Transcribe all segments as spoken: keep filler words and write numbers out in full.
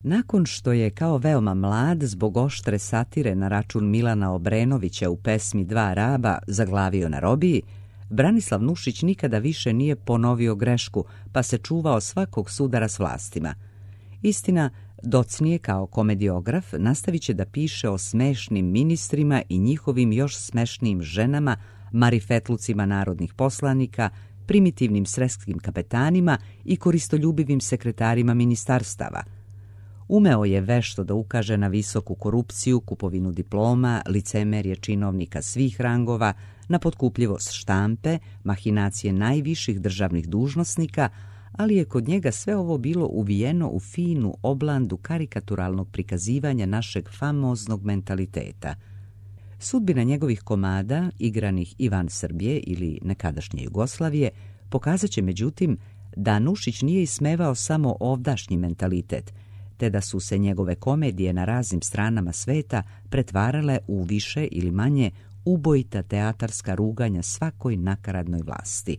Nakon što je kao veoma mlad zbog oštre satire na račun Milana Obrenovića u pesmi Dva raba zaglavio na robiji, Branislav Nušić nikada više nije ponovio grešku, pa se čuvao svakog sudara s vlastima. Istina, docnije kao komediograf nastavit će da piše o smešnim ministrima i njihovim još smešnijim ženama, marifetlucima narodnih poslanika, primitivnim srpskim kapetanima i koristoljubivim sekretarima ministarstava. Umeo je vešto da ukaže na visoku korupciju, kupovinu diploma, licemerje činovnika svih rangova, na potkupljivost štampe, mahinacije najviših državnih dužnosnika, ali je kod njega sve ovo bilo uvijeno u finu oblandu karikaturalnog prikazivanja našeg famoznog mentaliteta. Sudbina njegovih komada, igranih i van Srbije ili nekadašnje Jugoslavije, pokazat će međutim da Nušić nije ismevao samo ovdašnji mentalitet, te da su se njegove komedije na raznim stranama sveta pretvarale u više ili manje ubojita teatarska ruganja svakoj nakaradnoj vlasti.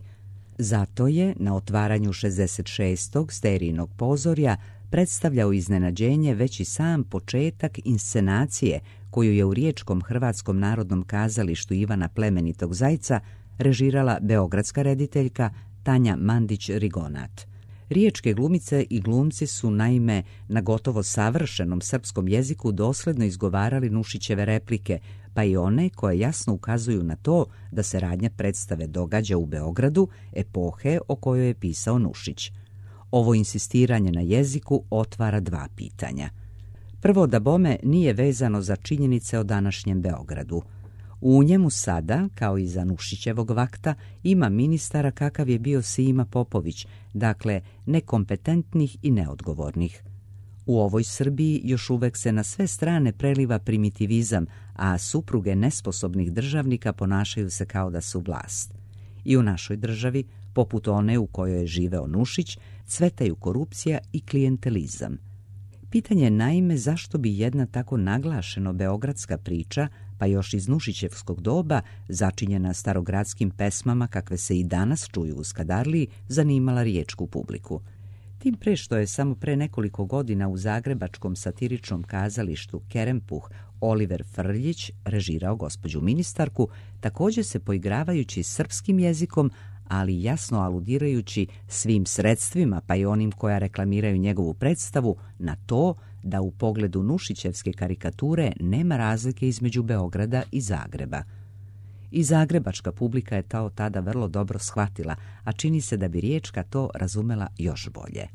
Zato je na otvaranju šezdeset šestog sterijnog pozorja predstavljao iznenađenje već i sam početak inscenacije koju je u Riječkom Hrvatskom narodnom kazalištu Ivana Plemenitog Zajca režirala beogradska rediteljka Tanja Mandić-Rigonat. Riječke glumice i glumci su naime na gotovo savršenom srpskom jeziku dosledno izgovarali Nušićeve replike, pa i one koje jasno ukazuju na to da se radnja predstave događa u Beogradu, epohe o kojoj je pisao Nušić. Ovo insistiranje na jeziku otvara dva pitanja. Prvo, da bome nije vezano za činjenice o današnjem Beogradu. U njemu sada, kao i za Nušićevog vakta, ima ministara kakav je bio Sima Popović, dakle nekompetentnih i neodgovornih. U ovoj Srbiji još uvek se na sve strane preliva primitivizam, a supruge nesposobnih državnika ponašaju se kao da su vlast. I u našoj državi, poput one u kojoj je živeo Nušić, cvetaju korupcija i klijentelizam. Pitanje je naime zašto bi jedna tako naglašeno beogradska priča, pa još iz Nušićevskog doba, začinjena starogradskim pesmama kakve se i danas čuju u Skadarliji, zanimala riječku publiku. Tim pre što je samo pre nekoliko godina u zagrebačkom satiričnom kazalištu Kerempuh Oliver Frljić režirao gospođu ministarku, također se poigravajući srpskim jezikom, ali jasno aludirajući svim sredstvima, pa i onim koja reklamiraju njegovu predstavu, na to da u pogledu Nušićevske karikature nema razlike između Beograda i Zagreba. I zagrebačka publika je to tada vrlo dobro shvatila, a čini se da bi riječka to razumela još bolje.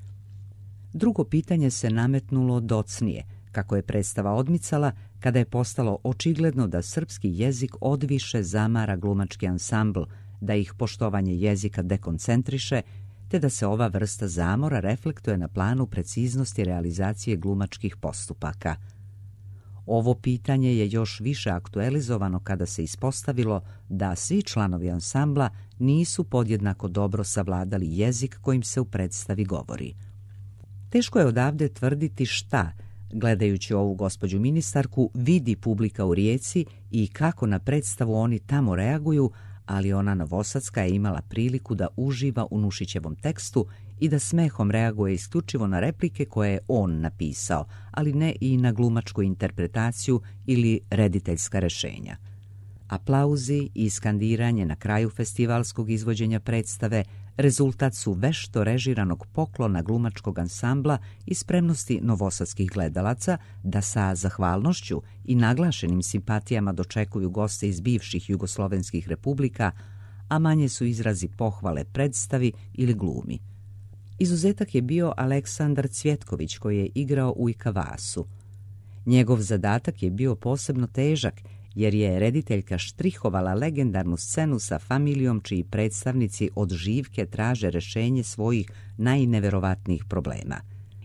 Drugo pitanje se nametnulo docnije, kako je predstava odmicala, kada je postalo očigledno da srpski jezik odviše zamara glumački ansambl, da ih poštovanje jezika dekoncentriše, te da se ova vrsta zamora reflektuje na planu preciznosti realizacije glumačkih postupaka. Ovo pitanje je još više aktualizovano kada se ispostavilo da svi članovi ansambla nisu podjednako dobro savladali jezik kojim se u predstavi govori. Teško je odavde tvrditi šta, gledajući ovu gospođu ministarku, vidi publika u Rijeci i kako na predstavu oni tamo reaguju, ali ona novosadska je imala priliku da uživa u Nušićevom tekstu i da smehom reaguje isključivo na replike koje je on napisao, ali ne i na glumačku interpretaciju ili rediteljska rešenja. Aplauzi i skandiranje na kraju festivalskog izvođenja predstave rezultat su vešto režiranog poklona glumačkog ansambla i spremnosti novosadskih gledalaca da sa zahvalnošću i naglašenim simpatijama dočekuju goste iz bivših jugoslovenskih republika, a manje su izrazi pohvale predstavi ili glumi. Izuzetak je bio Aleksandar Cvjetković koji je igrao u Ikavasu. Njegov zadatak je bio posebno težak jer je rediteljka štrihovala legendarnu scenu sa familijom čiji predstavnici od živke traže rešenje svojih najneverovatnijih problema.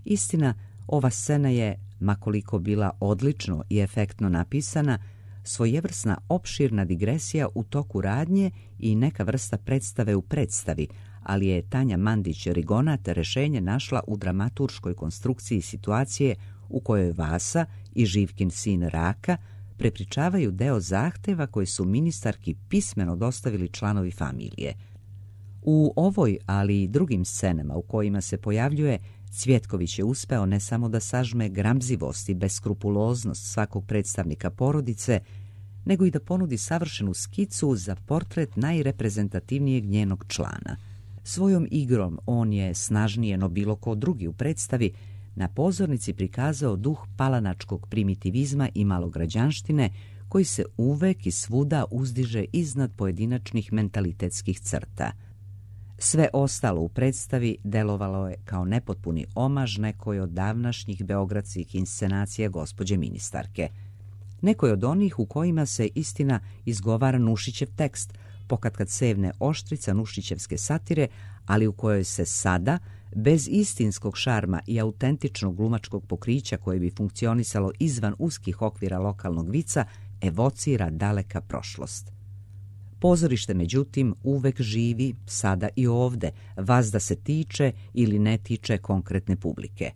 Istina, ova scena je, makoliko bila odlično i efektno napisana, svojevrsna opširna digresija u toku radnje i neka vrsta predstave u predstavi, ali je Tanja Mandić-Rigonat rešenje našla u dramaturškoj konstrukciji situacije u kojoj Vasa i Živkin sin Raka prepričavaju deo zahteva koji su ministarki pismeno dostavili članovi familije. U ovoj, ali i drugim scenama u kojima se pojavljuje, Cvjetković je uspeo ne samo da sažme gramzivost i beskrupuloznost svakog predstavnika porodice, nego i da ponudi savršenu skicu za portret najreprezentativnijeg njenog člana. Svojom igrom on je, snažnije no bilo ko drugi u predstavi, na pozornici prikazao duh palanačkog primitivizma i malograđanštine koji se uvek i svuda uzdiže iznad pojedinačnih mentalitetskih crta. Sve ostalo u predstavi delovalo je kao nepotpuni omaž nekoj od davnašnjih beogradskih inscenacija gospođe ministarke. Nekoj od onih u kojima se istina izgovara Nušićev tekst, pokatkad sevne oštrica Nušićevske satire, ali u kojoj se sada, bez istinskog šarma i autentičnog glumačkog pokrića koje bi funkcionisalo izvan uskih okvira lokalnog vica, evocira daleka prošlost. Pozorište, međutim, uvek živi, sada i ovde, vazda se tiče ili ne tiče konkretne publike.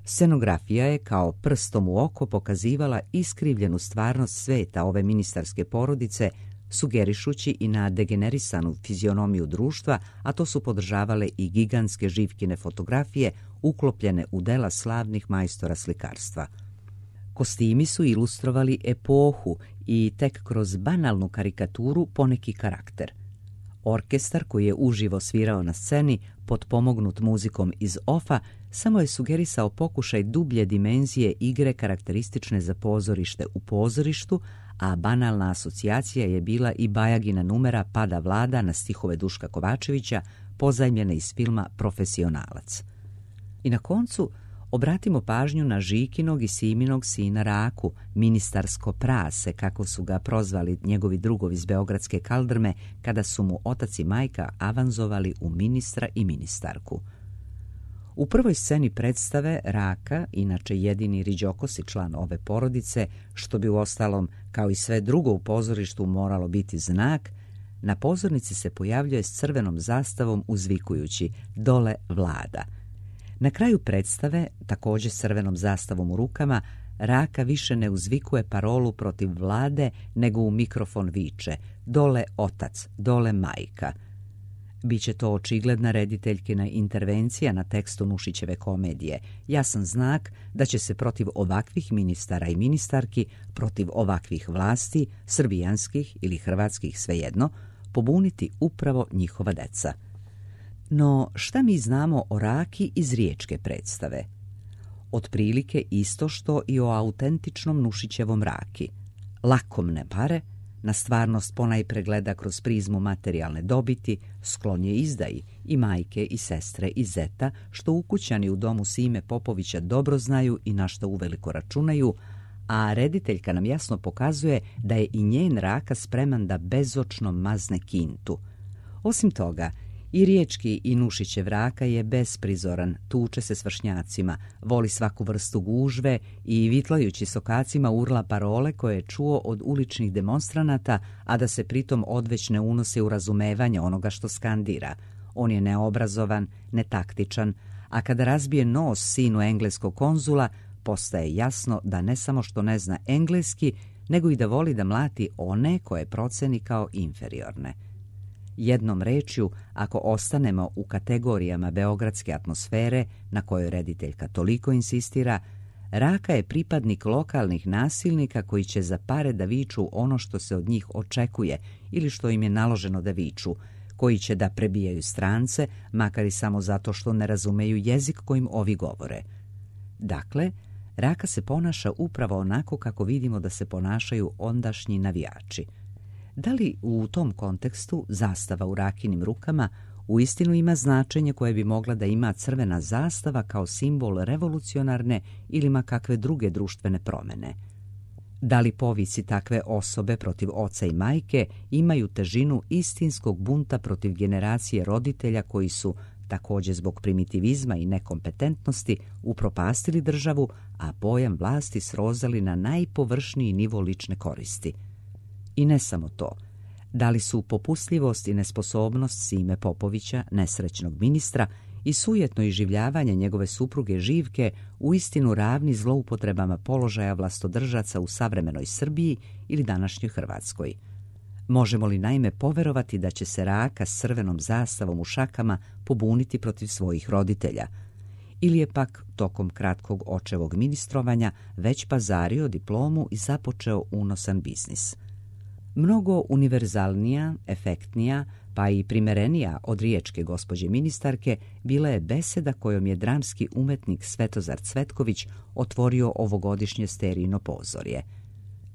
Scenografija je kao prstom u oko pokazivala iskrivljenu stvarnost sveta ove ministarske porodice, sugerišući i na degenerisanu fizionomiju društva, a to su podržavale i gigantske živkine fotografije uklopljene u dela slavnih majstora slikarstva. Kostimi su ilustrovali epohu i tek kroz banalnu karikaturu poneki karakter. Orkestar koji je uživo svirao na sceni, potpomognut muzikom iz ofa, samo je sugerisao pokušaj dublje dimenzije igre karakteristične za pozorište u pozorištu, a banalna asocijacija je bila i Bajagina numera Pada Vlada na stihove Duška Kovačevića, pozajmljene iz filma Profesionalac. I na koncu obratimo pažnju na Žikinog i Siminog sina Raku, ministarsko prase, kako su ga prozvali njegovi drugovi iz beogradske kaldrme kada su mu otac i majka avanzovali u ministra i ministarku. U prvoj sceni predstave Raka, inače jedini riđokosi član ove porodice, što bi uostalom, kao i sve drugo u pozorištu, moralo biti znak, na pozornici se pojavljuje s crvenom zastavom uzvikujući "Dole Vlada". Na kraju predstave, također s crvenom zastavom u rukama, Raka više ne uzvikuje parolu protiv vlade, nego u mikrofon viče "Dole otac, dole majka". Biće to očigledna rediteljkina intervencija na tekstu Nušićeve komedije, jasan znak da će se protiv ovakvih ministara i ministarki, protiv ovakvih vlasti, srbijanskih ili hrvatskih, svejedno, pobuniti upravo njihova deca. No, šta mi znamo o Raki iz riječke predstave? Otprilike isto što i o autentičnom Nušićevom Raki. Lakomne pare, na stvarnost ponajpre gleda kroz prizmu materijalne dobiti, sklon je izdaji i majke i sestre i zeta, što ukućani u domu Sime Popovića dobro znaju i na što uveliko računaju, a rediteljka nam jasno pokazuje da je i njen Raka spreman da bezočno mazne kintu. Osim toga, i riječki i Nušićev Raka je besprizoran, tuče se s vršnjacima, voli svaku vrstu gužve i vitlajući sokacima urla parole koje je čuo od uličnih demonstranata, a da se pritom odveć ne unosi u razumevanje onoga što skandira. On je neobrazovan, netaktičan, a kada razbije nos sinu engleskog konzula, postaje jasno da ne samo što ne zna engleski, nego i da voli da mlati one koje proceni kao inferiorne. Jednom rečju, ako ostanemo u kategorijama beogradske atmosfere na kojoj rediteljka toliko insistira, Raka je pripadnik lokalnih nasilnika koji će za pare da viču ono što se od njih očekuje ili što im je naloženo da viču, koji će da prebijaju strance, makar i samo zato što ne razumeju jezik kojim ovi govore. Dakle, Raka se ponaša upravo onako kako vidimo da se ponašaju ondašnji navijači. Da li u tom kontekstu zastava u Rakinim rukama uistinu ima značenje koje bi mogla da ima crvena zastava kao simbol revolucionarne ili ma kakve druge društvene promene? Da li povici takve osobe protiv oca i majke imaju težinu istinskog bunta protiv generacije roditelja koji su, također zbog primitivizma i nekompetentnosti, upropastili državu, a pojam vlasti srozali na najpovršniji nivo lične koristi? I ne samo to, da li su popustljivost i nesposobnost Sime Popovića, nesrećnog ministra, i sujetno iživljavanje njegove supruge Živke uistinu ravni zloupotrebama položaja vlastodržaca u savremenoj Srbiji ili današnjoj Hrvatskoj? Možemo li naime poverovati da će se Raka s crvenom zastavom u šakama pobuniti protiv svojih roditelja? ili je pak tokom kratkog očevog ministrovanja već pazario diplomu i započeo unosan biznis. Mnogo univerzalnija, efektnija, pa i primerenija od riječke gospođe ministarke bila je beseda kojom je dramski umetnik Svetozar Cvetković otvorio ovogodišnje Sterijino pozorje.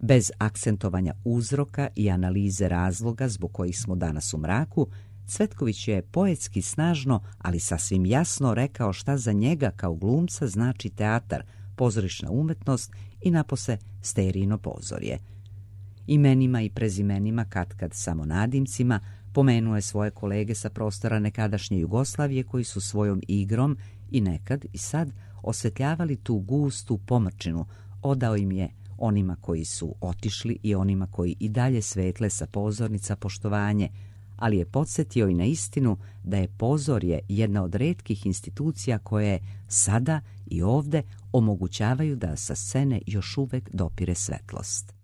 Bez akcentovanja uzroka i analize razloga zbog kojih smo danas u mraku, Cvetković je poetski snažno, ali sasvim jasno rekao šta za njega kao glumca znači teatar, pozorišna umetnost i napose Sterijino pozorje. Imenima i prezimenima, katkad samo nadimcima, pomenuo je svoje kolege sa prostora nekadašnje Jugoslavije koji su svojom igrom i nekad i sad osvetljavali tu gustu pomrčinu, odao im je onima koji su otišli i onima koji i dalje svetle sa pozornica poštovanje, ali je podsjetio i na istinu da je pozorje jedna od retkih institucija koje sada i ovde omogućavaju da sa scene još uvek dopire svetlost.